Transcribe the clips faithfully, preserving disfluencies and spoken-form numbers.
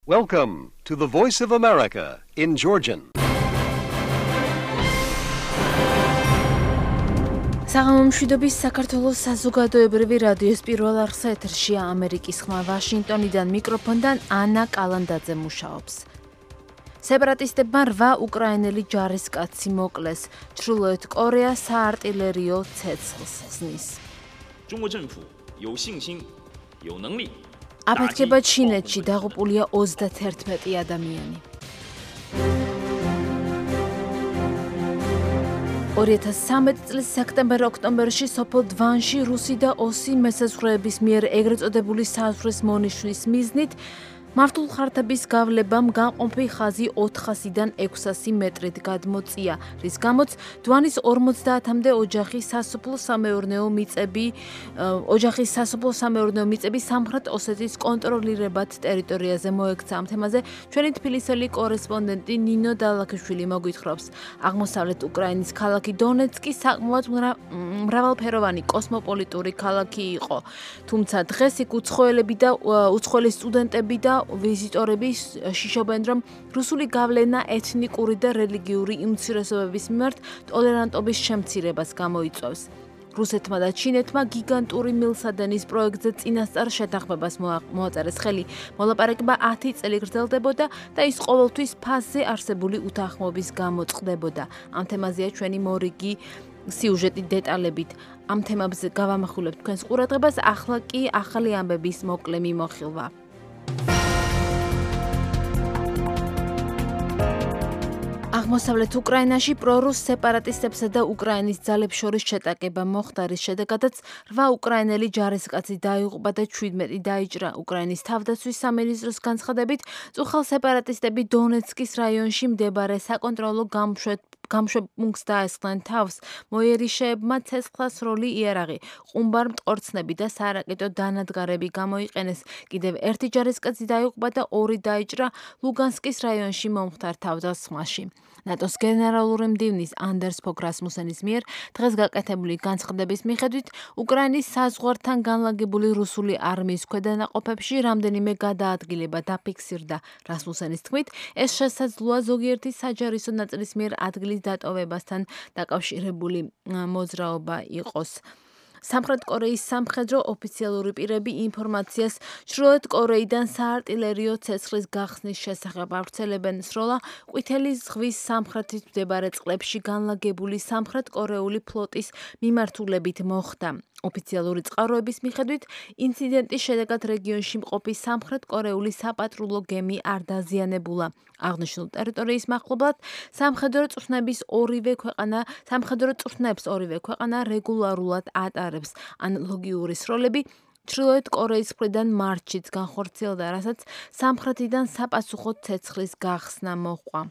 Welcome to the Voice of America in Georgian. საღამომშვიდობის საქართველოს საზოგადოებრივი რადიოს პირველ არხსა ეთერშია ამერიკის ხმა ვაშინგტონიდან მიკროფონიდან ანა კალანდაძე მუშაობს. სეპარატისტებმა რვა უკრაინელი ჯარისკაცი მოკლეს. ჩრდილოეთ კორეა საარტილერიო ცეცხლს ზნის. აფეთქება ჩინეთში დაღუპულია ოცდაათი ადამიანი. ორი ათას ცხრამეტი წლის სექტემბერ-ოქტომბერში სოფელ დვანში რუსი და ოსი მესაზღვრეების მიერ ეგრეთ წოდებული საზღვრის მონიშვნის მიზნით მართულ ხარდების გავლებამ განყოფი ხაზი ოთხასიდან ექვსასი მეტრით გადმოწია, რის გამოც დვანის ორმოცდაათამდე ოჯახის სასოფლო-სამეურნეო მიწები ოჯახის სასოფლო-სამეურნეო მიწები სამხრეთ ოსეთის კონტროლირებად ტერიტორიაზე მოექცა. ამ თემაზე ჩვენი თბილისელი კორესპონდენტი ნინო დალაქიშვილი მოგვითხრობს. აღმოსავლეთ უკრაინის ქალაქი დონეცკი საკმაოდ მრავალფეროვანი კოსმოპოლიტური ქალაქი იყო, თუმცა დღეს იქ უცხოელები და უცხოელი სტუდენტები და ვიზიტორები შიშობენ, რომ რუსული გავლენა ეთნიკური და რელიგიური უმცირესობების მიმართ ტოლერანტობის შემცირებას გამოიწვევს. რუსეთმა და ჩინეთმა გიგანტური მილსადენის პროექტზე წინასწარ შეთანხმებას მოაწერეს ხელი. მოლაპარაკება ათი წელი გრძელდებოდა და ის ყოველთვის ფასზე არსებული უთანხმოების გამო წყდებოდა. ამ თემაზეა ჩვენი მორიგი სიუჟეტი დეტალებით. ამ თემებზე გავამახვილებთ თქვენს ყურადღებას, ახლა კი ახალი ამბების მოკლე მიმოხილვა. აღმოსავლეთ უკრაინაში პრორუს სეპარატისტებსა და უკრაინის ძალებს შორის შეტაკება მოხდა, რის შედეგადაც რვა უკრაინელი ჯარისკაცი დაიღუპა და ჩვიდმეტი დაიჭრა. უკრაინის თავდაცვის სამინისტროს განცხადებით, წუხელ სეპარატისტები დონეცკის რაიონში მდებარე საკონტროლო გამშვებ გამშვებ პუნქტს დაესხნენ თავს. მოიერიშეებმა ცეცხლსროლი იარაღი, ყუმბარ მტკორცნები და სარაკეტო დანადგარები გამოიყენეს. კიდევ ერთი ჯარისკაცი დაიღუპა და ორი დაიჭრა ლუგანსკის რაიონში მომხდარ თავდასხმაში. ნატოს გენერალური მდივნის ანდერს ფოგ რასმუსენის მიერ დღეს გაკეთებული განცხადების მიხედვით, უკრაინის საზღვართან განლაგებული რუსული არმიის ქვედანაყოფებში რამდენიმე გადაადგილება დაფიქსირდა. რასმუსენის თქმით, ეს შესაძლოა ზოგიერთი საჯარისო ნაწილის მიერ ადგილის დატოვებასთან დაკავშირებული მოძრაობა იყოს. სამხრეთ კორეის სამხედრო ოფიციალური პირები ინფორმაციას ჩრდილოეთ კორეიდან საარტილერიო ცეცხლის გახსნის შესახებ ავრცელებენ. სროლა ყვითელი ზღვის სამხრეთით მდებარე წყლებში განლაგებული სამხრეთ კორეული ფლოტის მიმართულებით მოხდა. ოფიციალური წყაროების მიხედვით, ინციდენტის შედეგად რეგიონში მყოფი სამხრეთ კორეული საპატრულო გემი არ დაზიანებულა. აღნიშნულ ტერიტორიის მახლობლად სამხედრო წვრთნების ორივე ქვეყანა სამხედრო წვრთნებს ორივე ქვეყანა რეგულარულად ატარებს. ანალოგიური სროლები ჩრდილოეთ კორეის მხრიდან მარტშიც განხორციელდა, რასაც სამხრეთიდან საპასუხო ცეცხლის გახსნა მოჰყვა.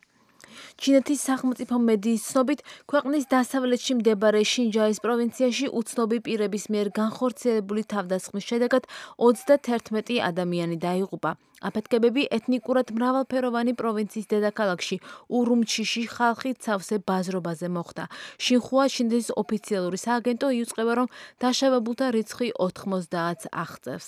ჩინეთის სახელმწიფო მედიის ცნობით, ქვეყნის დასავლეთში მდებარე შინჯაის პროვინციაში უცნობი პირების მიერ განხორციელებული თავდასხმის შედეგად ოცდაათი ადამიანი დაიღუპა. აფეთქებები ეთნიკურად მრავალფეროვანი პროვინციის დედაქალაქში ურუმჩიში ხალხით სავსე ბაზრობაზე მოხდა. შინხუა ჩინეთის ოფიციალური სააგენტო იუწყება, რომ დაშავებულთა რიცხვი ოთხმოცდაათს აღწევს.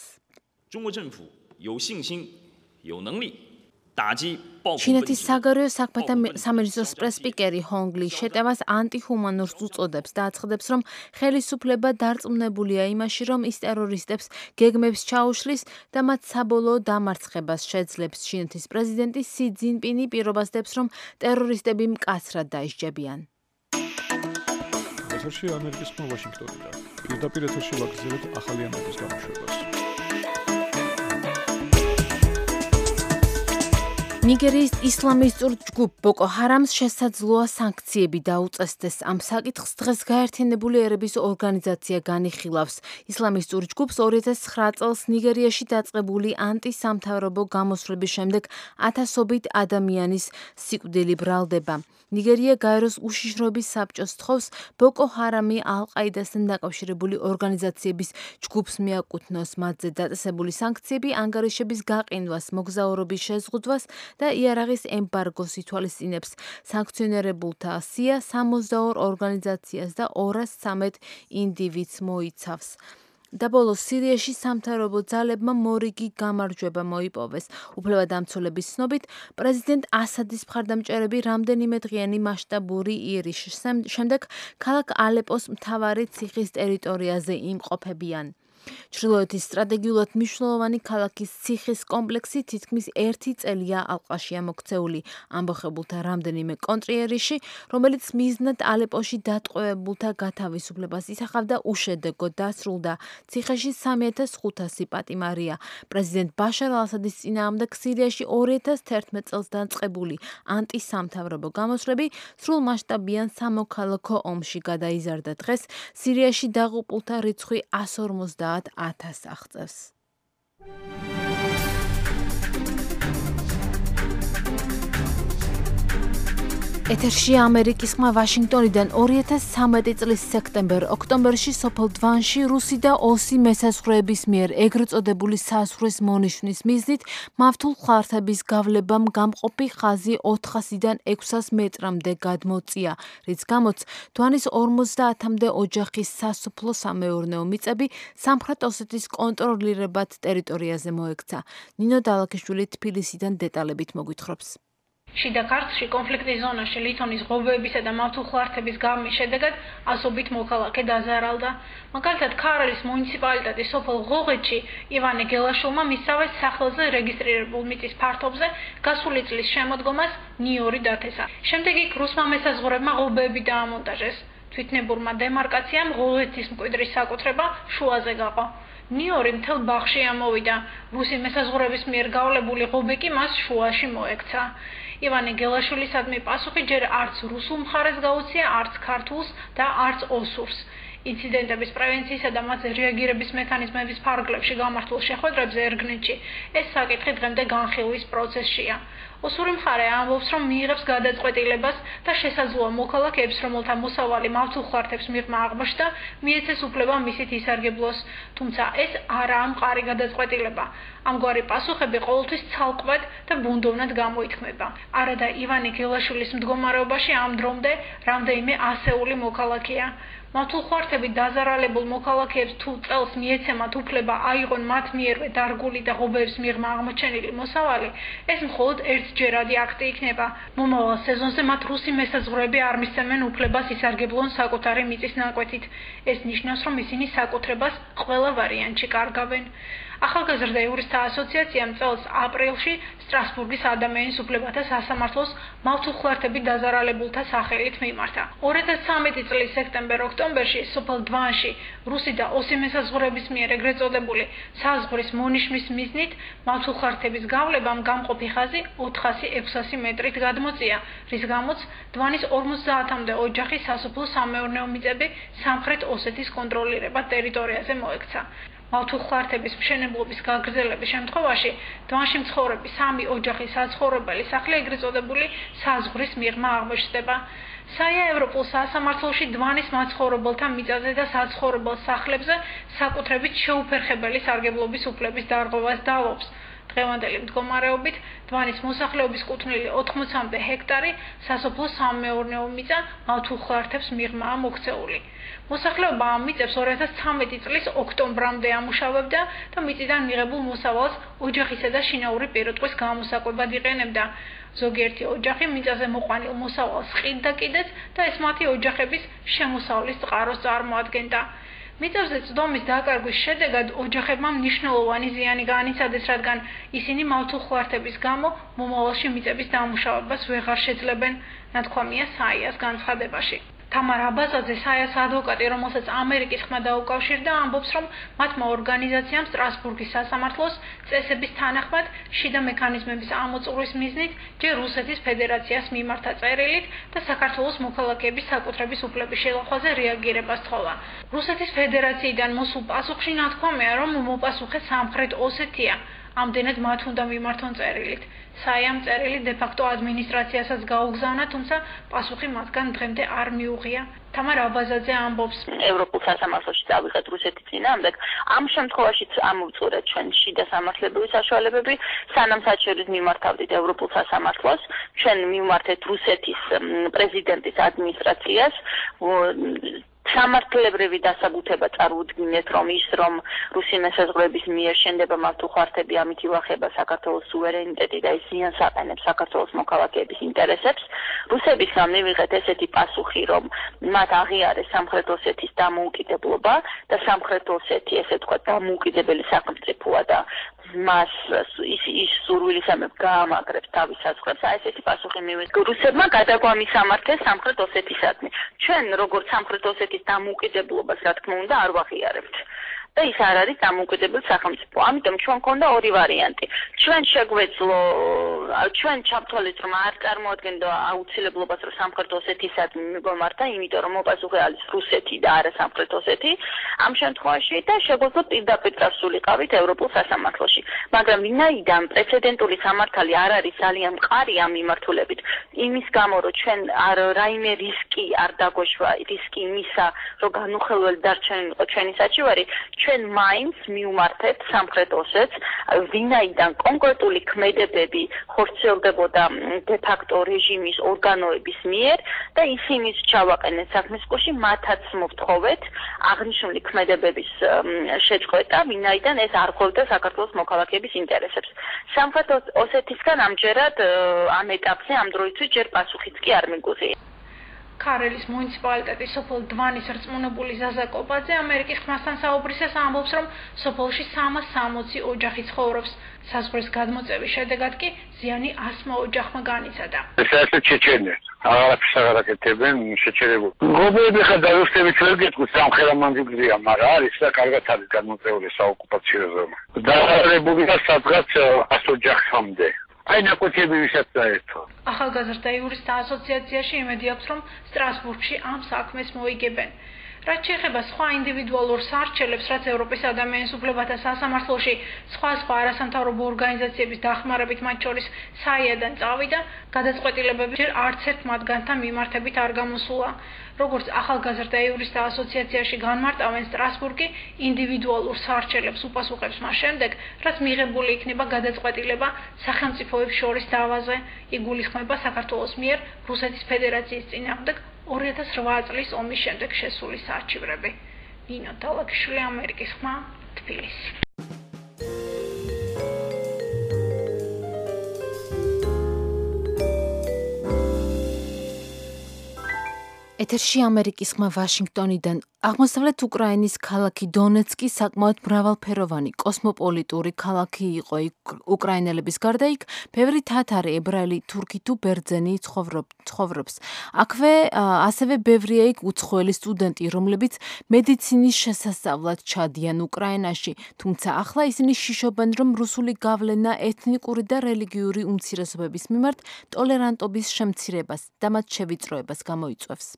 ჩინეთის საგარეო საქმეთა სამინისტროს პრესპიკერი ჰონგ ლი შეტევას ანტიჰუმანურს უწოდებს და აცხადებს, რომ ხელისუფლება დარწმუნებულია იმაში, რომ ის ტერორისტებს გეგმებს ჩაუშლის და მათ საბოლოო დამარცხებას შეძლებს. ჩინეთის პრეზიდენტი სი ძინპინი პირობას დებს, რომ ტერორისტები მკაცრად დაისჯებიან. ეთერში ამერიკის ხმა ვაშინგტონიდან. პირდაპირ ეთერში ვაგრძელებთ ახალი ამბების გამოშვებას. ნიგერიის ისლამისტურ ჯგუფ ბოკო ჰარამს შესაძლოა სანქციები დაუწესდეს. ამ საკითხს დღეს გაერთიანებული ერების ორგანიზაცია განიხილავს. ისლამისტურ ჯგუფს ორი ათას ცხრა წელს ნიგერიაში დაწყებული ანტისამთავრობო გამოსვლების შემდეგ ათასობით ადამიანის სიკვდილი ბრალდება. ნიგერია გაეროს უშიშროების საბჭოს თხოვს ბოკო ჰარამი ალ-ყაიდასთან დაკავშირებული ორგანიზაციების ჯგუფს მიაკუთვნოს. მათზე დაწესებული სანქციები ანგარიშების გაყინვას, მოგზაურობის შეზღუდვას და იარაღის ემბარგოს ითვალისწინებს. სანქციონირებულთა სია სამოცდაორ ორგანიზაციას და ორას ცამეტ ინდივიდს მოიცავს. და ბოლოს სირიაში სამთავრობო ძალებმა მორიგი გამარჯვება მოიპოვეს. უფლებადამცველების ცნობით, პრეზიდენტ ასადის მხარდამჭერები რამდენიმე დღიანი მასშტაბური იერიშის შემდეგ ქალაქ ალეპოს მთავარი ციხის ტერიტორიაზე იმყოფებიან. ჩრდილოეთის სტრატეგიულად მნიშვნელოვანი ქალაქის ციხის კომპლექსი თითქმის ერთი წელია ალყაშია მოქცეული. ამბოხებულთა რამდენიმე კონტრიერიში, რომელიც მიზნად ალეპოში დატყვევებულთა გათავისუფლებას ისახავდა, უშედეგოდ დასრულდა. ციხეში სამი ათას ხუთასი პატიმარია. პრეზიდენტ ბაშარ ალ-ასადის წინააღმდეგ სირიაში ორი ათას თერთმეტ წელს დაწყებული ანტისამთავრობო გამოსვლები სრულმასშტაბიან სამოქალაქო ომში გადაიზარდა. დღეს სირიაში დაღუპულთა რიცხვი ას ორმოცდაათ ათასს აღწევს. ეთერში ამერიკის ხმა ვაშინგტონიდან ორი ათას ცხრამეტი წლის სექტემბერ-ოქტომბერში სოფელ დვანში რუსი და ოსი მესაზღვრეების მიერ ეგრეთ წოდებული საზღვრის მონიშვნის მიზნით მავთულ ხლართების გავლებამ გამყოფი ხაზი ოთხასიდან ექვსას მეტრამდე გადმოწია, რის გამოც დვანის ორმოცდაათამდე ოჯახის სასოფლო-სამეურნეო მიწები სამხრეთ ოსეთის კონტროლირებად ტერიტორიაზე მოექცა. ნინო დალაქიშვილი თბილისიდან დეტალებით მოგვითხრობს. შიდა ქართლში კონფლიქტის ზონაში ლითონის ღობეებისა და მავთულ ხლართების გამის შედეგად ასობით მოქალაქე დაზარალდა. მაგალითად, ქარელის მუნიციპალიტეტის სოფელ ღოღეთში ივანე გელაშვილმა მისცავა სახელზე რეგისტრირებულ მიწის ფართობზე გასული წლის შემოდგომას ნიორი დათესა. შემდეგ იქ რუსმა მესაზღვრეებმა ღობეები დაამონტაჟეს. თვითნებურმა დემარკაციამ ღოღეთის მკვიდრის საკუთრება შუაზე გაყო. ნიორი მთელ ბაღში ამოვიდა. რუსი მესაზღვრეების მიერ გავლებული ღობე კი მას შუაში მოექცა. ივანე გელაშვილისადმი პასუხი ჯერ არც რუსულ მხარეს გაუწია, არც ქართულს და არც ოსურს. ინციდენტების პრევენციისა და მათზე რეაგირების მექანიზმების ფარგლებში გამართულ შეხვედრებზე ერგნეთში ეს საკითხი დღემდე განხილვის პროცესშია. ოსური მხარე ამბობს, რომ მიიღებს გადაწყვეტილებას და შესაძლოა მოქალაქეებს, რომელთა მოსავალი მავთულ ხლართებს მიღმა აღმოჩნდა, მიეცეს უფლება მისით ისარგებლოს. თუმცა ეს არაა მყარი გადაწყვეტილება. ამგვარი პასუხები ყოველთვის ცალკმად და ბუნდოვნად გამოითქმება. არადა ივანე გელაშვილის მდგომარეობაში ამ დრომდე რამდენიმე ასეული მოქალაქეა. მავთულ ხლართები დაზარალებულ მოქალაქეებს თუ წელს მიეცემათ უფლება აიღონ მათ მიერვე დარგული და ღობეებს მიღმა აღმოჩენილი მოსავალი, ეს მხოლოდ ერთჯერადი აქტი იქნება. მომავალ სეზონზე მათ რუსი მესაზღვრეები არ მისცემენ უფლებას ისარგებლონ საკუთარი მიწის ნაკვეთით. ეს ნიშნავს, რომ ისინი საკუთრებას ყველა ვარიანტში კარგავენ. ახალგაზრდა იურისტთა ასოციაციამ წელს აპრილში სტრასბურგის ადამიანის უფლებათა სასამართლოს მავთულ ხლართებით დაზარალებულთა სახელით მიმართა. ორი ათას ცხრამეტი წლის სექტემბერ-ოქტომბერში სოფელ დვანში რუსი და ოსი მესაზღვრეების მიერ ეგრეთ წოდებული საზღვრის მონიშნის მიზნით მავთულ ხლართების გავლებამ გამყოფი ხაზი ოთხასი ექვსასი მეტრით გადმოწია, რის გამოც დვანის ორმოცდაათამდე ოჯახის სასოფლო-სამეურნეო მიწები სამხრეთ ოსეთის კონტროლირებად ტერიტორიაზე მოექცა. მავთულ ხლართების მშენებლობის გაგრძელების შემთხვევაში დვანში მცხოვრები სამი ოჯახის საცხოვრებელი სახლი ეგრეთ წოდებული საზღვრის მიღმა აღმოჩნდება. საია ევროპულ სასამართლოში დვანის მაცხოვრებელთა მიწაზე და საცხოვრებელ სახლებზე საკუთრებით შეუფერხებელი სარგებლობის უფლების დარღვევას დალობს. დღევანდელი მდგომარეობით დვანის მოსახლეობის კუთვნილი ოთხმოცამდე ჰექტარი სასოფლო-სამეურნეო მიწა მავთულ ხლართებს მიღმაა მოქცეული. მოსახლეობა ამ მიწებს ორი ათას ცხრამეტი წლის ოქტომბრამდე ამუშავებდა და მიწიდან მიღებულ მოსავალს ოჯახისა და შინაური პირუტყვის გამოსაკვებად იყენებდა. ზოგიერთი ოჯახი მიწაზე მოყვანილ მოსავალს ყიდდა კიდეც და ეს მათი ოჯახების შემოსავლის წყაროს წარმოადგენდა. მიწებზე წდომის დაკარგვის შედეგად ოჯახებმა მნიშვნელოვანი ზიანი განიცადეს, რადგან ისინი მავთულ ხლართების გამო მომავალში მიწების დამუშავებას ვეღარ შეძლებენ, ნათქვამია საიას განცხადებაში. თამარ აბაზაძე, საიას ადვოკატი, რომელსაც ამერიკის ხმა დაუკავშირდა, ამბობს, რომ მათმა ორგანიზაციამ სტრასბურგის სასამართლოს წესების თანახმად შიდა მექანიზმების ამოწურვის მიზნით ჯერ რუსეთის ფედერაციას მიმართა წერილით და საქართველოს მოქალაქეების საკუთრების უფლების შელახვაზე რეაგირება სთხოვა. რუსეთის ფედერაციიდან მოსულ პასუხში ნათქვამია, რომ მოპასუხე სამხრეთ ოსეთია. ამდენად მათ უნდა მიმართონ წერილით. საიამ წერილი დე-ფაქტო ადმინისტრაციასაც გაუგზავნა, თუმცა პასუხი მათგან დღემდე არ მიუღია. თამარ აბაზაძე ამბობს, ევროპულ სასამართლოში წავიღეთ რუსეთის წინააღმდეგ. ამ შემთხვევაშიც ამოვწურეთ ჩვენ შიდა სამართლებრივი საშუალებები, სანამ საჩურის მიმართავდით ევროპულ სასამართლოს, ჩვენ მიმართეთ რუსეთის პრეზიდენტის ადმინისტრაციას სამართლებრივი დასაბუთება წარუდგინეთ, რომ ის რომ რუსი მესაზღვრების მიერ შენდება მართო ხართები ამით ივახება საქართველოს სუვერენიტეტი და ის ზიანს აყენებს საქართველოს მოქალაქეების ინტერესებს. რუსებისგან მივიღეთ ესეთი პასუხი, რომ მათ აღიარეს სამხრეთ ოსეთის დამოუკიდებლობა და სამხრეთ ოსეთი, ესე ვთქვათ, დამოუკიდებელი სახელმწიფოა და მას ის ის სურვილისამებრ გაამაგრებს თავის საზღვრებს. აი ესეთი პასუხი მივიღეთ. რუსებმა გადაგვამისამართეს სამხრეთ ოსეთისადმი. ჩვენ როგორც სამხრეთ ოსეთის დამოუკიდებლობას, რა თქმა უნდა, არ ვაღიარებთ. და ის არ არის დამოუკიდებელი სახელმწიფო. ამიტომ ჩვენ მქონდა ორი ვარიანტი. ჩვენ შეგვეძლო, ჩვენ ჩავთვალეთ, რომ არ წარმოადგენდა აუცილებლობას, რომ სამხრეთ ოსეთისადმი მიგვემართა, იმიტომ რომ მოპასუხე არის რუსეთი და არა სამხრეთ ოსეთი. ამ შემთხვევაში და შეგვეძლო პირდაპირ წასულიყავით ევროპულ სასამართლოში. მაგრამ ვინაიდან პრეცედენტული სამართალი არ არის ძალიან მყარი ამ მიმართულებით, იმის გამო, რომ ჩვენ რაიმე რისკი არ დაგვეშვა, რისკი იმისა, რომ განუხელველი დარჩენილიყო ჩვენი საჩივარი, ჩვენ მაინც მიუმართებთ სამხრეთ ოსეთს, ვინაიდან კონკრეტული ქმედებები ხორციელდებოდა დე-ფაქტო რეჟიმის ორგანოების მიერ და ისინიც ჩავაყენეთ საქმის კუში, მათაც მოვთხოვეთ აღნიშნული ქმედებების შეწყვეტა, ვინაიდან ეს არ ხვევდა საქართველოს მოქალაქეების ინტერესებს. სამხრეთ ოსეთისგან ამჯერად ამ ეტაპზე ამ დროისთვის ჯერ პასუხიც კი არ მიგვიღია. ქარელის მუნიციპალიტეტის სოფელ დვანის რწმუნებული ზაზა კოპაძე ამერიკის ხმასთან საუბრისას ამბობს, რომ სოფელში სამას სამოცი ოჯახი ცხოვრობს. საზღვრის გადმოწევის შედეგად კი ზიანი ასმა ოჯახმა განიცადა. ეს ასე ჩეჩენია. აღარაფერს აღარ აკეთებენ შეჩერებულ. გობები ხა რუსების ვერ გეტყვით სამხელა მანძილზეა, მაგრამ არის და კარგად არის გადმოწეული საოკუპაციო ზონა. დაარებულია სადღაც ას ოჯახამდე. აი ნაკუთები ვისაც დაერთო. ახალგაზრდა იურისტთა ასოციაციაში იმედი აქვს, რომ სტრასბურგში ამ საქმეს მოიგებენ. რაც შეეხება სხვა ინდივიდუალურ სარჩელებს, რაც ევროპის ადამიანის უფლებათა სასამართლოში სხვა სხვა არასამთავრობო ორგანიზაციების დახმარებით, მათ შორის საიადან წავიდა, გადაწყვეტილებები ჯერ არც ერთ მათგანთან მიმართებით არ გამოსულა. როგორც ახალგაზრდა იურისტთა ასოციაციაში განმარტავენ, სტრასბურგი ინდივიდუალურ სარჩელებს უპასუხებს მას შემდეგ, რაც მიღებული იქნება გადაწყვეტილება სახელმწიფოებს შორის დავაზე. იგულისხმება საქართველოს მიერ რუსეთის ფედერაციის წინააღმდეგ ორი ათას რვა წლის ომის შემდეგ შესული საარჩივრები. ნინო დალაგიშვილი, ამერიკის ხმა, თბილისი. ეთერში ამერიკის ხმა ვაშინგტონიდან. აღმოსავლეთ უკრაინის ქალაქი დონეცკი საკმაოდ მრავალფეროვანი კოსმოპოლიტური ქალაქი იყო. უკრაინელების გარდა იქ ბევრი თათარი, ებრაელი, თურქი თუ ბერძენი ცხოვრობს. აქვე ასევე ბევრია იქ უცხოელი სტუდენტი, რომლებიც მედიცინის შესასწავლად ჩადიან უკრაინაში, თუმცა ახლა ისინი შიშობენ, რომ რუსული გავლენა ეთნიკური და რელიგიური უმცირესობების მიმართ ტოლერანტობის შემცირებას და მათ შევიწროებას გამოიწვევს.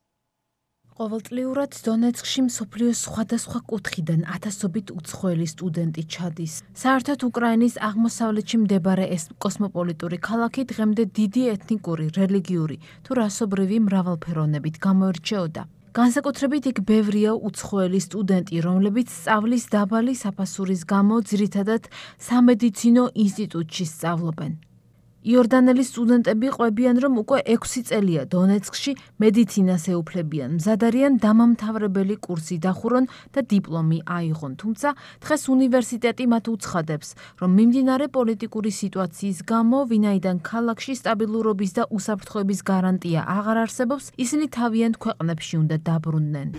ყოველწლიურად დონეცკში მსოფლიოს სხვადასხვა კუთხიდან ათასობით უცხოელი სტუდენტი ჩადის. საერთოდ უკრაინის აღმოსავლეთში მდებარე ეს კოსმოპოლიტური ქალაქი დღემდე დიდი ეთნიკური, რელიგიური თუ რასობრივი მრავალფეროვნებით გამოირჩეოდა. განსაკუთრებით იქ ბევრია უცხოელი სტუდენტი, რომლებიც სწავლის დაბალი საფასურის გამო ძირითადად სამედიცინო ინსტიტუტში სწავლობენ. იორდანელი სტუდენტები ყვებიან, რომ უკვე ექვსი წელია დონეცკში მედიცინას ეუფლებიან, მზად არიან დამამთავრებელი კურსი დახურონ და დიპლომი აიღონ, თუმცა დღეს უნივერსიტეტი მათ უცხადებს, რომ მიმდინარე პოლიტიკური სიტუაციის გამო, ვინაიდან ქალაქში სტაბილურობის და უსაფრთხოების გარანტია აღარ არსებობს, ისინი თავიანთ ქვეყნებში უნდა დაბრუნდნენ.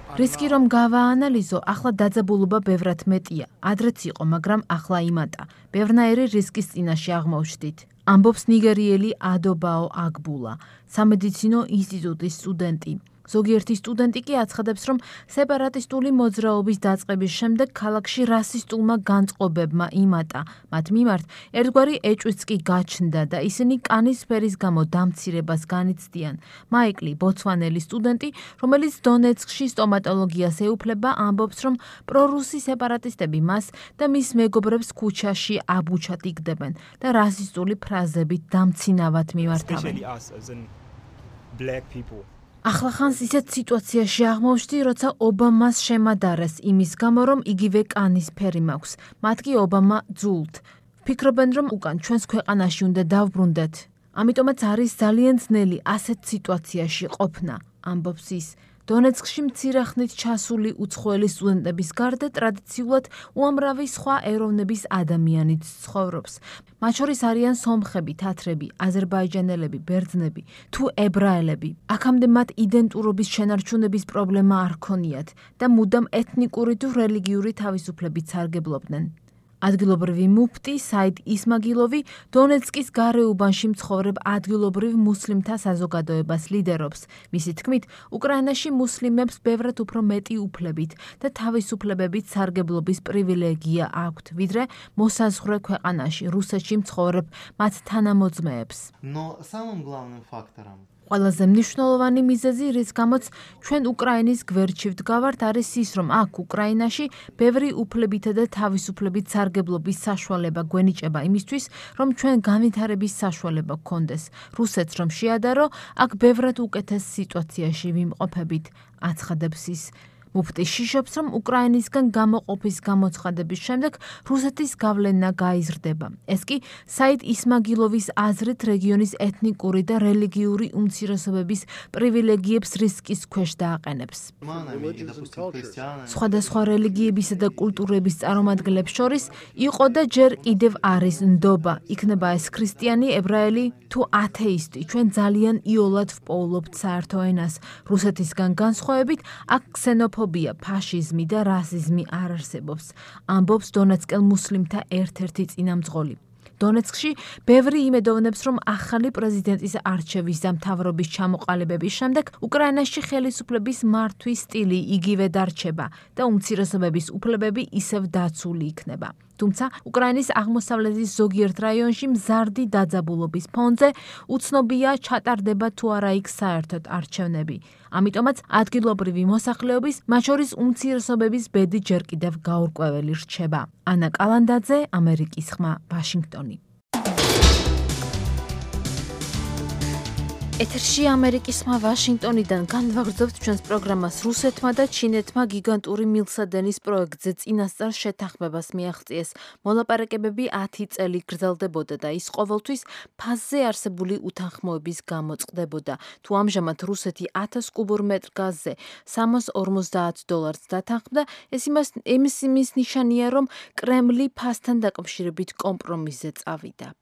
რისკი რომ გავაანალიზო, ახლა დაძაბულობა ბევრად მეტია. ადრეც იყო, მაგრამ ახლა იმატა. ბევრნაირი რისკის წინაშე აღმოჩნდით. ამბობს ნიგერიელი ადობაო აგბულა, სამედიცინო ინსტიტუტის სტუდენტი. ზოგიერთი სტუდენტი კი აცხადებს, რომ სეპარატისტული მოძრაობის დაწყების შემდეგ ქალაქში რასისტულმა განწყობებმა იმატა. მათ მიმართ ერთგვარი ეჭვიც კი გაჩნდა და ისინი კანის ფერის გამო დამცირებას განიცდიან. მაიკლი, ბოცვანელი სტუდენტი, რომელიც დონეცკში სტომატოლოგიას ეუფლება, ამბობს, რომ პრორუსი სეპარატისტები მას და მის მეგობრებს ქუჩაში აბუჩად იგდებენ და რასისტული ფრაზებით დამცინავად მიმართავენ. ახლა ხანს ისეთ სიტუაციაში აღმოჩნდი, როცა ობამას შემადარეს იმის გამო, რომ იგივე კანის ფერი მაქვს. მათ კი ობამა ძულთ. ფიქრობენ, რომ უკან ჩვენს ქვეყანაში უნდა დავბრუნდეთ. ამიტომაც არის ძალიან ძნელი ასეთ სიტუაციაში ყოფნა, ამბობს ის. დონეცკში მცირე ხნით ჩასული უცხოელი სტუდენტების გარდა ტრადიციულად უამრავი სხვა ეროვნების ადამიანიც ცხოვრობს. მათ შორის არიან სომხები, თათრები, აზერბაიჯანელები, ბერძნები თუ ებრაელები. აქამდე მათ იდენტურობის შენარჩუნების პრობლემა არ ქონიათ და მუდამ ეთნიკური თუ რელიგიური თავისუფლებით სარგებლობდნენ. ადგილობრივი მუფტი საიდ ისმაგილოვი დონეცკის გარეუბანში მცხოვრებ ადგილობრივ მუსლიმთა საზოგადოებას ლიდერობს. მისი თქმით, უკრაინაში მუსლიმებს ბევრად უფრო მეტი უფლებით და თავისუფლებებით სარგებლობის პრივილეგია აქვთ, ვიდრე მოსაზღვრე ქვეყანაში, რუსეთში მცხოვრებ მათ თანამოძმეებს. Но самым главным фактором ყველაზე მნიშვნელოვანი მიზეზი, რის გამოც ჩვენ უკრაინის გვერდში ვდგავართ, არის ის, რომ აქ უკრაინაში ბევრი უფლებითა და თავისუფლებით სარგებლობის საშუალება გვენიჭება იმისთვის, რომ ჩვენ განვითარების საშუალება გქონდეს. რუსეთს რომ შეადარო, აქ ბევრად უკეთეს სიტუაციაში ვიმყოფებით, აცხადებს ის. მუფტი შიშობს, რომ უკრაინისგან გამოყოფის გამოცხადების შემდეგ რუსეთის გავლენა გაიზრდება. ეს კი საიდ ისმაგილოვის აზრით რეგიონის ეთნიკური და რელიგიური უმცირესობების პრივილეგიებს რისკის ქვეშ დააყენებს. სხვადასხვა რელიგიებისა და კულტურების წარმომადგენლებს შორის იყო და ჯერ კიდევ არის ნდობა. იქნება ეს ქრისტიანი, ებრაელი თუ ათეისტი. ჩვენ ძალიან იოლად ვპოულობთ საერთო ენას. რუსეთისგან განსხვავებით, აქ ქსენოფ ფობია, ფაშიზმი და რასიზმი არ არსებობს, ამბობს დონეცკელ მუსლიმთა ერთ-ერთი წინამძღოლი. დონეცკში ბევრი იმედოვნებს, რომ ახალი პრეზიდენტის არჩევის და მთავრობის ჩამოყალიბების შემდეგ უკრაინაში ხელისუფლების მართვის სტილი იგივე დარჩება და უმცირესობების უფლებები ისევ დაცული იქნება. თუმცა უკრაინის აღმოსავლეთის ზოგიერთ რაიონში მზარდი დაძაბულობის ფონზე უცნობია ჩატარდება თუ არა იქ საერთოდ არჩევნები. ამიტომაც ადგილობრივი მოსახლეობის, მათ შორის უმცირესობების ბედი ჯერ კიდევ გაურკვეველი რჩება. ანა კალანდაძე, ამერიკის ხმა, ვაშინგტონი. ეთერში ამერიკის ხმა ვაშინგტონიდან განვაგრძობთ ჩვენს პროგრამას. რუსეთმა და ჩინეთმა გიგანტური მილსადენის პროექტზე წინასწარ შეთანხმებას მიაღწიეს. მოლაპარაკებები ათი წელი გრძელდებოდა და ის ყოველთვის ფაზზე არსებული უთანხმოების გამო წყდებოდა. თუ ამჟამად რუსეთი ათას კუბურ მეტრ გაზზე სამას ორმოცდაათ დოლარს დათანხმდა, ეს იმას იმის ნიშანია, რომ კრემლი ფასთან დაკავშირებით კომპრომისზე წავიდა.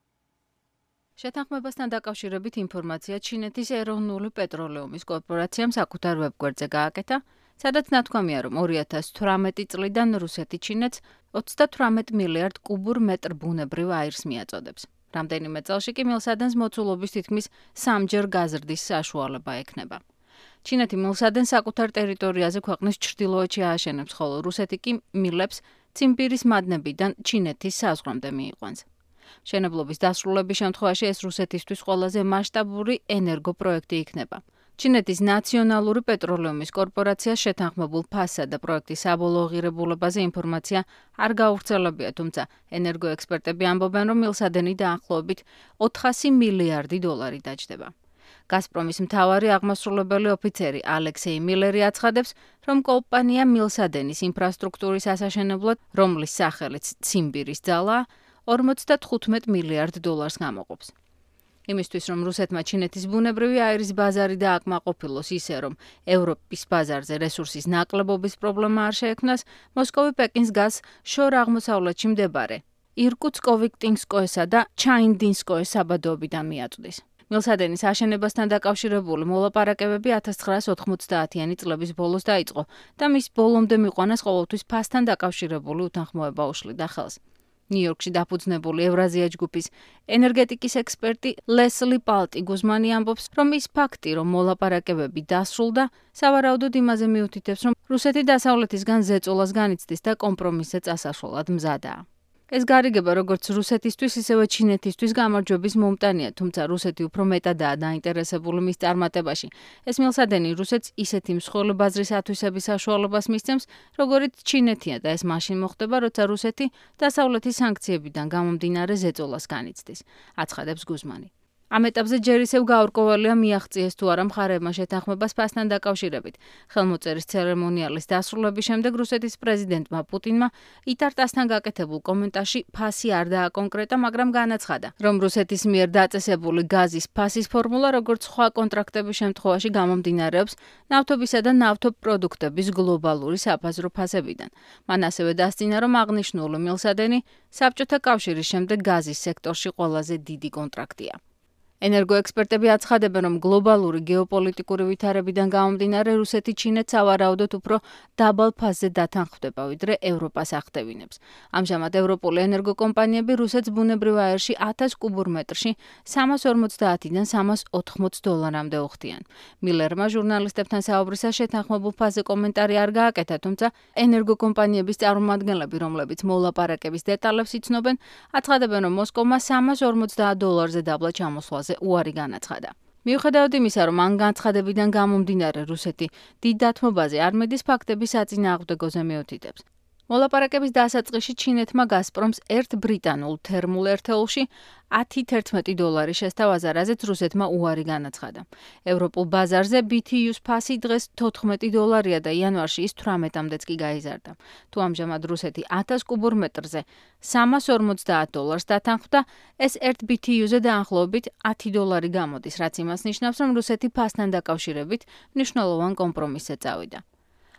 შეთანხმებასთან დაკავშირებით ინფორმაცია ჩინეთის ეროვნული პეტროლეუმის კორპორაციამ საკუთარ ვებგვერდზე გააკეთა, სადაც ნათქვამია, რომ ორი ათას თვრამეტი წლიდან რუსეთი ჩინეთს ოცდათვრამეტ მილიარდ კუბურ მეტრ ბუნებრივ აირს მიაწოდებს. რამდენიმე წელში კი მილსადენს მოცულობის თითქმის სამჯერ გაზრდის საშუალება ექნება. ჩინეთი მილსადენს საკუთარ ტერიტორიაზე ქვეყნის ჩრდილოეთში ააშენებს, ხოლო რუსეთი კი მილებს ციმბირის მადნებიდან ჩინეთის საზღვრამდე მიიყვანს. მშენებლობის დასრულების შემთხვევაში ეს რუსეთისთვის ყველაზე მასშტაბური ენერგოპროექტი იქნება. ჩინეთის ნაციონალური პეტროლეუმის კორპორაციას შეთანხმებულ ფასსა და პროექტის საბოლოო ღირებულებაზე ინფორმაცია არ გავრცელებია, თუმცა ენერგოექსპერტები ამბობენ, რომ მილსადენი დაახლოებით ოთხასი მილიარდი დოლარი დაჯდება. გაზპრომის მთავარი აღმასრულებელი ოფიცერი ალექსეი მილერი აცხადებს, რომ კომპანია მილსადენის ინფრასტრუქტურის ასაშენებლად, რომლის სახელიც ციმბირის ძალაა, ორმოცდათხუთმეტ მილიარდ დოლარს გამოყოფს. იმისთვის, რომ რუსეთმა ჩინეთის ბუნებრივი აირის ბაზარი დააკმაყოფილოს ისე, რომ ევროპის ბაზარზე რესურსის ნაკლებობის პრობლემა არ შეექმნას, მოსკოვი პეკინს გას შორ აღმოსავლეთში მდებარე ირკუტსკოვიკტინსკოესა და ჩაინდინსკოეს საბადოებიდან მიაწვდის. მილსადენის აშენებასთან დაკავშირებული მოლაპარაკებები ათას ცხრაას ოთხმოცდაათიანი წლების ბოლოს დაიწყო და მის ბოლომდე მიყვანას ყოველთვის ფასთან დაკავშირებული უთანხმოება უშლიდა ხელს. ნიუ-იორკში დაფუძნებული ევრაზია ჯგუფის ენერგეტიკის ექსპერტი ლესლი პალტი გუზმანი ამბობს, რომ ის ფაქტი, რომ მოლაპარაკებები დასრულდა, სავარაუდოდ იმაზე მიუთითებს, რომ რუსეთი დასავლეთისგან ზეწოლას განიცდის და კომპრომისზე წასასვლელად მზადაა. ეს გარიგება როგორც რუსეთისთვის, ისევე ჩინეთისთვის გამარჯვების მომტანია, თუმცა რუსეთი უფრო მეტადაა დაინტერესებული მის წარმატებაში. ეს მილსადენი რუსეთს ისეთი მსხვილი ბაზრის ათვისების საშუალებას მისცემს, როგორიც ჩინეთია და ეს მაშინ მოხდება, როცა რუსეთი დასავლეთის სანქციებიდან გამომდინარე ზეწოლას განიცდის, აცხადებს გუზმანი. ამ ეტაპზე ჯერ ისევ გაურკვეველია მიაღწიეს თუ არა მხარეებმა შეთანხმებას ფასთან დაკავშირებით. ხელმოწერის ცერემონიალის დასრულების შემდეგ რუსეთის პრეზიდენტმა პუტინმა იტარტასთან გაკეთებულ კომენტარში ფასი არ დააკონკრეტა, მაგრამ განაცხადა, რომ რუსეთის მიერ დაწესებული გაზის ფასის ფორმულა, როგორც სხვა კონტრაქტების შემთხვევაში, გამომდინარეობს ნავთობისა და ნავთობპროდუქტების გლობალური საფაზრო ფასებიდან. მან ასევე დასძინა, რომ აღნიშნული მილსადენი საბჭოთა კავშირის შემდეგ გაზის სექტორში ყველაზე დიდი კონტრაქტია. ენერგოექსპერტები აცხადებენ, რომ გლობალური გეოპოლიტიკური ვითარებიდან გამომდინარე რუსეთი ჩინეთს ავარაუდოდ უფრო დაბალ ფასზე დათანხმდება, ვიდრე ევროპას ახდევინებს. ამჟამად ევროპული ენერგოკომპანიები რუსეთს ბუნებრივ აირში ათას კუბურ მეტრში სამას ორმოცდაათიდან სამას ოთხმოც დოლარამდე უხდიან. მილერმა ჟურნალისტებთან საუბრისას შეთანხმებულ ფასზე კომენტარი არ გააკეთა, თუმცა ენერგოკომპანიების წარმომადგენლები, რომლებიც მოლაპარაკების დეტალებს იცნობენ, აცხადებენ, რომ მოსკოვმა სამას ორმოცდაათ დოლარზე დაბლა ჩამოსვლას უარი განაცხადა. მიუხედავად იმისა, რომ ამ განცხადებიდან გამომდინარე რუსეთი დიდ დათმობაზე არ მედის, ფაქტების საწინააღმდეგოზე მიუთითებს. მოლაპარაკების დასაწყისში ჩინეთმა გაზპრომს ერთ ბრიტანულ თერმულ ერთეულში ათი თერთმეტი დოლარი შესთავაზა, რაზეც რუსეთმა უარი განაცხადა. ევროპულ ბაზარზე ბი თი იუს ფასი დღეს თოთხმეტი დოლარია და იანვარში ის თვრამეტამდეც კი გაიზარდა. თუ ამჟამად რუსეთი ათას კუბურ მეტრზე სამას ორმოცდაათ დოლარს დათანხმდა, ეს ერთ ბი თი იუზე დაახლოებით ათი დოლარი გამოდის, რაც იმას ნიშნავს, რომ რუსეთი ფასთან დაკავშირებით მნიშვნელოვან კომპრომისზე წავიდა.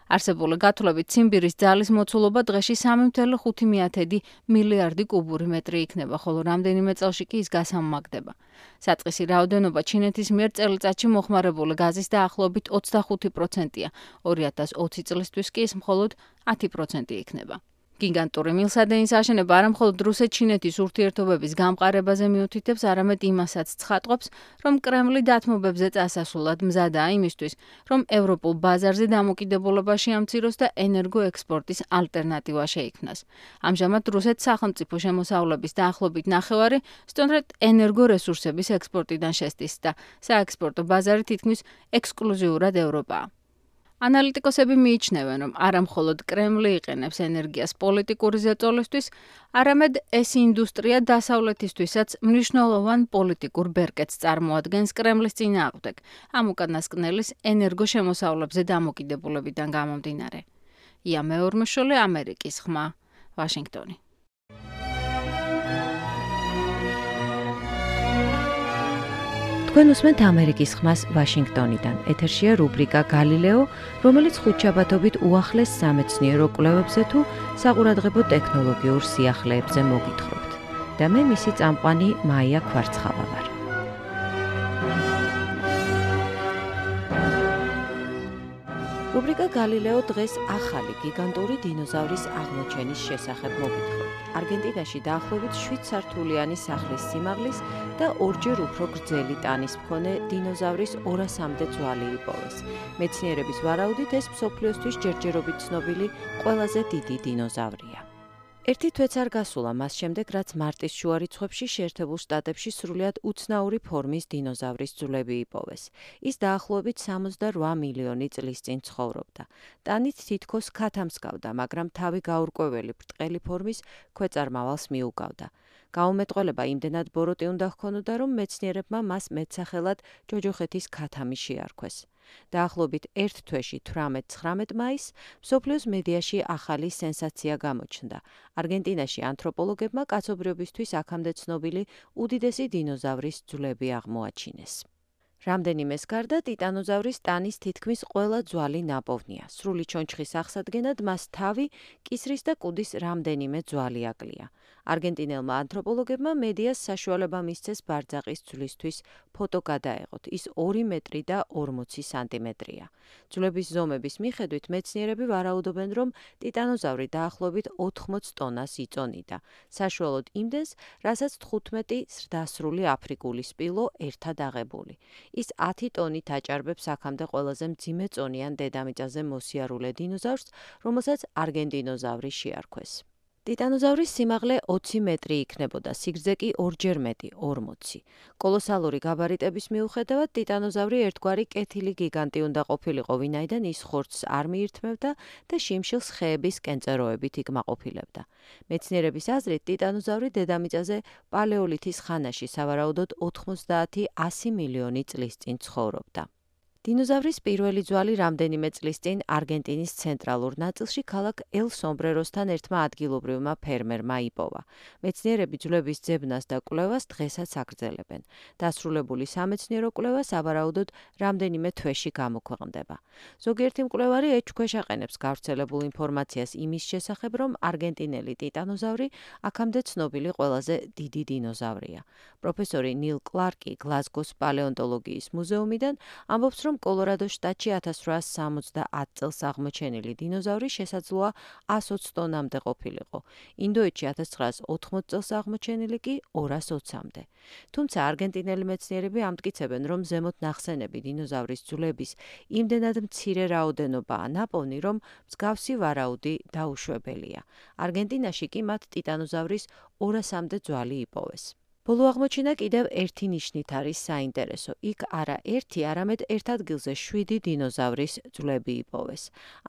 არსებული გათვლებით ციმბირის ძალის მოცულობა დღეში სამი მცდელო ხუთი მილიარდი კუბური მეტრი იქნება, ხოლო რამდენიმე წელში კი ის გასამმაგდება. საწყისი რაოდენობა ჩინეთის მიერ წელიწადში მოხმარებული გაზის დაახლოებით ოცდახუთი პროცენტია, ორი ათას ოცი წლისთვის კი ის მხოლოდ ათი პროცენტი იქნება. გიგანტური მილსადენის აშენება არა მხოლოდ რუსეთ-ჩინეთის ურთიერთობების გამყარებაზე მიუთითებს, არამედ იმასაც ცხადყოფს, რომ კრემლი დათმობებზე წასასვლელად მზადაა იმისთვის, რომ ევროპულ ბაზარზე დამოკიდებულება შეამციროს და ენერგოექსპორტის ალტერნატივა შეიქმნას. ამჟამად რუსეთს სახელმწიფო შემოსავლების დაახლოებით ნახევარი სწორედ ენერგორესურსების ექსპორტიდან შესდის და საექსპორტო ბაზარი თითქმის ექსკლუზიურად ევროპაა. ანალიტიკოსები მიიჩნევენ, რომ არა მხოლოდ კრემლი იყენებს ენერგიას პოლიტიკური ზეწოლისთვის, არამედ ეს ინდუსტრია დასავლეთისთვისაც მნიშვნელოვან პოლიტიკურ ბერკეტს წარმოადგენს კრემლის წინააღმდეგ, ამ უკანასკნელის ენერგოშემოსავლებზე დამოკიდებულებიდან გამომდინარე. ია მეორმეშოლე, ამერიკის ხმა, ვაშინგტონი. თქვენ უსმენთ ამერიკის ხმას ვაშინგტონიდან. ეთერშია რუბრიკა გალილეო, რომელიც ხუთშაბათობით უახლეს სამეცნიერო კვლევებზე თუ საყურადღებო ტექნოლოგიურ სიახლეებზე მოგითხრობთ. და მე მისი წამყვანი მაია ქვარცხავა ვარ. რუბრიკა გალილეო დღეს ახალი გიგანტური დინოზავრის აღმოჩენის შესახებ მოგითხრობთ. არგენტინაში დაახლოებით შვიდ სართულიანი სახლის სიმაღლის და ორჯერ უფრო გრძელი ტანის მქონე დინოზავრის ორასამდე ძვალი იპოვეს. მეცნიერების ვარაუდით ეს მსოფლიოსთვის ჯერჯერობით ცნობილი ყველაზე დიდი დინოზავრია. ერთი თვეც არ გასულა მას შემდეგ, რაც მარტის შუა რიცხვებში შეერთებულ შტატებში სრულიად უცნაური ფორმის დინოზავრის ძვლები იპოვეს. ის დაახლოებით სამოცდარვა მილიონი წლის წინ ცხოვრობდა. ტანით თითქოს ქათამსგავდა, მაგრამ თავი გაურკვეველი ბრტყელი ფორმის ქვეწარმავალს მიუგავდა. გაუმეტყველება იმდენად ბოროტი უნდა ჰქონოდა, რომ მეცნიერებმა მას მეტსახელად ჯოჯოხეთის ქათამი შეარქვეს. დაახლოებით ერთ თვეში თვრამეტ-ცხრამეტ მაისს მსოფლიოს მედიაში ახალი სენსაცია გამოჩნდა. არგენტინაში ანთროპოლოგებმა კაცობრიობისთვის აქამდე ცნობილი უდიდესი დინოზავრის ძვლები აღმოაჩინეს. რამდენიმეს გარდა ტიტანოზავრის ტანის თითქმის ყველა ძვალი ნაპოვნია. სრული ჩონჩხის აღსადგენად მას თავი, კისრის და კუდის რამდენიმე ძვალი აკლია. არგენტინელმა ანთროპოლოგებმა მედიას საშუალება მისცეს ბარძაყის ძვლისთვის ფოტო გადაეღოთ. ის ორი მეტრი და ორმოცი სანტიმეტრია. ძვლების ზომების მიხედვით მეცნიერები ვარაუდობენ, რომ ტიტანოზავრი დაახლოებით ოთხმოც ტონას იწონიდა. საშუალოდ იმდენს, რასაც თხუთმეტი ზრდასრული აფრიკული სპილო ერთად აღებული. ის ათი ტონით აჭარბებს აქამდე ყველაზე მძიმე წონიან დედამიწაზე მოსიარულე დინოზავრს, რომელსაც არგენტინოზავრი შეარქვეს. ტიტანოზავრის სიმაღლე ოცი მეტრი იქნებოდა, სიგრძე კი ორჯერ მეტი, ორმოცი. კოლოსალური გაბარიტების მიუხედავად, ტიტანოზავრი ერთგვარი კეთილი გიგანტი უნდა ყოფილიყო, ვინაიდან ის ხორცს არ მიირთმევდა და შიმშილს ხეების კენწეროებით იკმაყოფილებდა. მეცნიერების აზრით, ტიტანოზავრი დედამიწაზე პალეოლითის ხანაში, სავარაუდოდ ოთხმოცდაათი ასი მილიონი წლის წინ ცხოვრობდა. დინოზავრის პირველი ძვალი რამდენიმე წლის წინ არგენტინის ცენტრალურ ნაწილში ქალაქ ელ-სომბრეროსთან ერთმა ადგილობრივმა ფერმერმა იპოვა. მეცნიერები ძვლების ძებნას და კვლევას დღესაც აგრძელებენ. დასრულებული სამეცნიერო კვლევა სავარაუდოდ რამდენიმე თვეში გამოქვეყნდება. ზოგიერთი მკვლევარი ეჭვქვეშ აყენებს გავრცელებულ ინფორმაციას იმის შესახებ, რომ არგენტინელი ტიტანოზავრი აქამდე ცნობილი ყველაზე დიდი დინოზავრია. პროფესორი ნილ კლარკი გლაზგოს პალეონტოლოგიის მუზეუმიდან ამბობს, რომ კოლორადოს შტატში ათას რვაას სამოცდაათ წელს აღმოჩენილი დინოზავრი შესაძლოა ასოც ტონამდე ყოფილიყო. ინდოეთში ათას ცხრაას ოთხმოც წელს აღმოჩენილი კი ორას ოცამდე. თუმცა არგენტინელი მეცნიერები ამტკიცებენ, რომ ზემოთ ნახსენები დინოზავრის ძვლების იმდენად მცირე რაოდენობაა ნაპოვნი, რომ მსგავსი ვარაუდი დაუშვებელია. არგენტინაში კი მათ ტიტანოზავრის ორასამდე ძვალი იპოვეს. ბოლო აღმოჩენა კიდევ ერთი ნიშნით არის საინტერესო. იქ არა ერთი, არამედ ერთ ადგილზე შვიდი დინოზავრის ძვლები იპოვეს.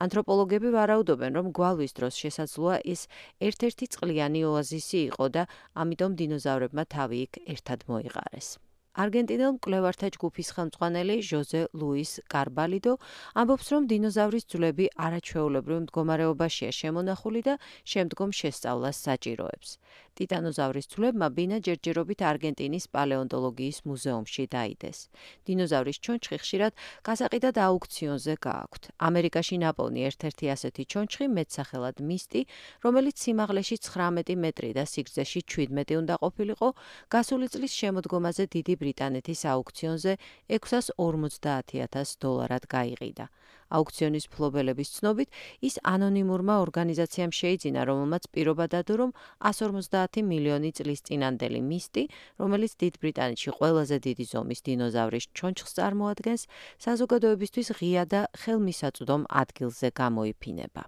ანთროპოლოგები ვარაუდობენ, რომ გვალვის დროს შესაძლოა ეს ერთ-ერთი წყლიანი ოაზისი იყო და ამიტომ დინოზავრებმა თავი იქ ერთად მოიყარეს. არგენტინელ მკვლევართა ჯგუფის ხელმძღვანელი ჟოზე ლუის კარბალიდო ამბობს, რომ დინოზავრის ძვლები არაჩვეულებრივ მდგომარეობაშია შემონახული და შემდგომ შესწავლას საჭიროებს. ტიტანოზავრის ძვლებმა ბინა ჯერჯერობით არგენტინის პალეონტოლოგიის მუზეუმში დაიდეს. დინოზავრის ჩონჩხი ხშირად გასაყიდად აუქციონზე გააქვთ. ამერიკაში ნაპოვნი ერთ-ერთი ასეთი ჩონჩხი მეტსახელად მისტი, რომელიც სიმაღლეში ცხრამეტი მეტრი და სიგრძეში ჩვიდმეტი უნდა ყოფილიყო, გასული წლის შემოდგომაზე დიდი ბრიტანეთის აუქციონზე ექვსას ორმოცდაათი ათას დოლარად გაიყიდა. აუქციონის მფლობელების ცნობით, ის ანონიმურმა ორგანიზაციამ შეიძინა, რომელმაც პირობა დადო, რომ εκατს ორმოცდაათი მილიონი წლის წინანდელი მისტი, რომელიც დიდ ბრიტანეთში ყველაზე დიდი ზომის დინოზავრის ჩონჩხს წარმოადგენს, საზოგადოებისთვის ღია და ხელმისაწვდომ ადგილზე გამოიფინება.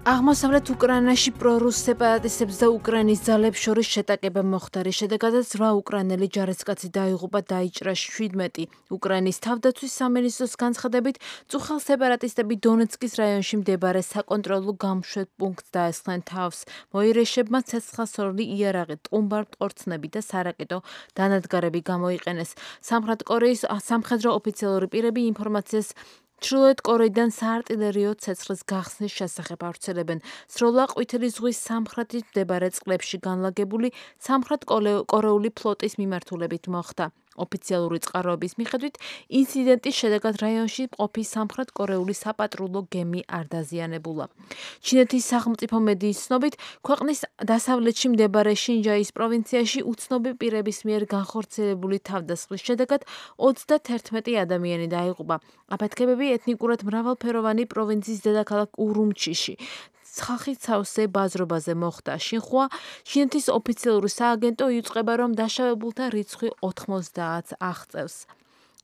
აღმოსავლეთ უკრაინაში პრორუს სეპარატისტებს და უკრაინის ძალებს შორის შეტაკება მოხდა, რის შედეგადაც რვა უკრაინელი ჯარისკაცი დაიღუპა, დაიჭრა შვიდმეტი. უკრაინის თავდაცვის სამინისტროს განცხადებით, წუხელ სეპარატისტები დონეცკის რაიონში მდებარე საკონტროლო გამშვებ პუნქტს დაესხნენ თავს. მოირეშებმა ცეცხლსროლი იარაღი, ტყუმბარ-მტკორცნები და სარაკეტო დანადგარები გამოიყენეს. სამხრეთ კორეის სამხედრო ოფიციალური პირები ინფორმაციას ჩრდილოეთ კორეიდან საარტილერიო ცეცხლის გახსნის შესახებ ავრცელებენ. სროლა ყვითელი ზღვის სამხრეთით მდებარე წყლებში განლაგებული სამხრეთ კორეული ფლოტის მიმართულებით მოხდა. ოფიციალური წყაროების მიხედვით, ინციდენტის შედეგად რაიონში მყოფი სამხრეთ კორეული საპატრულო გემი არ დაზიანებულა. ჩინეთის სახელმწიფო მედიის ცნობით, ქვეყნის დასავლეთში მდებარე შინჯაის პროვინციაში უცნობი პირების მიერ განხორციელებული თავდასხმის შედეგად ოცდათერთმეტი ადამიანი დაიღუპა. აფეთქებები ეთნიკურად მრავალფეროვანი პროვინციის დედაქალაქ ურუმჩიში ხალხის სავსე ბაზრობაზე მოხდა. შინხუა ჩინეთის ოფიციალური სააგენტო იუწყება, რომ დაშავებულთა რიცხვი ოთხმოცდაათს აღწევს.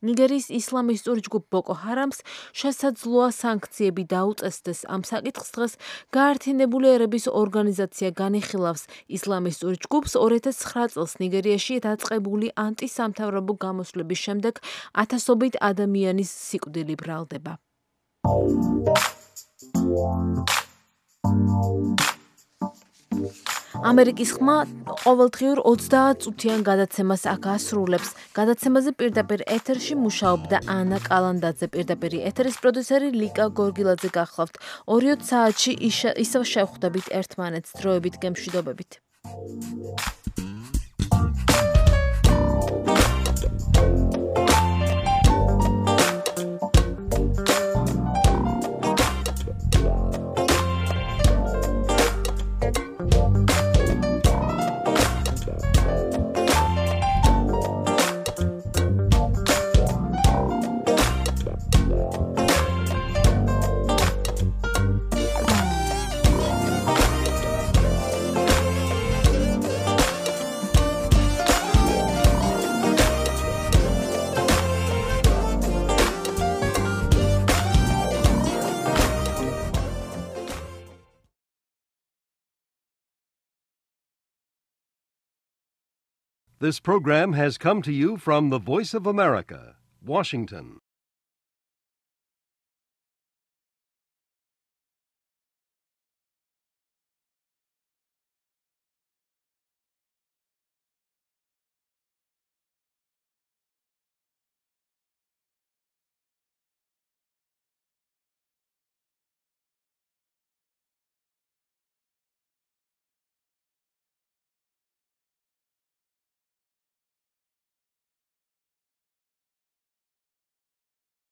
ნიგერიის ისლამისტური ჯგუფ ბოკო ჰარამს შესაძლოა სანქციები დაუწესდეს. ამ საკითხს დღეს გაერთიანებული ერების ორგანიზაცია განიხილავს. ისლამისტურ ჯგუფს ორი ათას ცხრა წელს ნიგერიაში დაწყებული ანტისამთავრობო გამოსვლების შემდეგ ათასობით ადამიანის სიკვდილი ბრალდება. ამერიკის ხმა ყოველდღიურ ოცდაათ წუთიან გადაცემას აქ ასრულებს. გადაცემაზე პირდაპირ ეთერში მუშაობდა ანა კალანდაძე, პირდაპირ ეთერის პროდიუსერი ლიკა გორგილაძე გახლავთ. ორი საათში ისევ შევხვდებით ერთმანეთს, დროებით გემშვიდობებით. This program has come to you from the Voice of America, Washington.